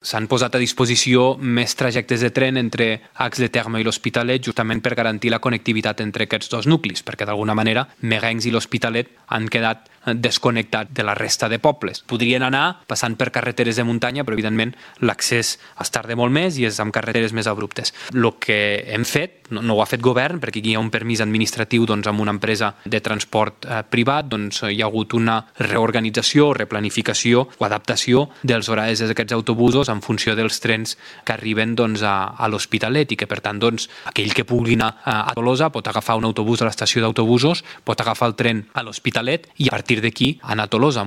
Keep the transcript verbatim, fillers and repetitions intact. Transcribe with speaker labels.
Speaker 1: S'han posat a disposició més trajectes de tren entre Ax de Terme i l'Hospitalet justament per garantir la connectivitat entre aquests dos nuclis, perquè d'alguna manera Merencs i l'Hospitalet han quedat desconnectats de la resta de pobles. Podrien anar passant per carreteres de muntanya, però evidentment l'accés es tarda molt més i és amb carreteres més abruptes. El que hem fet, no, no ho ha fet govern, perquè aquí hi ha un permís administratiu doncs, amb una empresa de transport eh, privat, doncs hi ha hagut una reorganització, replanificació o adaptació dels horaris d'aquests autobusos en funció dels trens que arriben doncs, a, a l'Hospitalet i que, per tant, doncs, aquell que pugui anar a Tolosa pot agafar un autobús a l'estació d'autobusos, pot agafar el tren a l'Hospitalet i a partir d'aquí anar a Tolosa.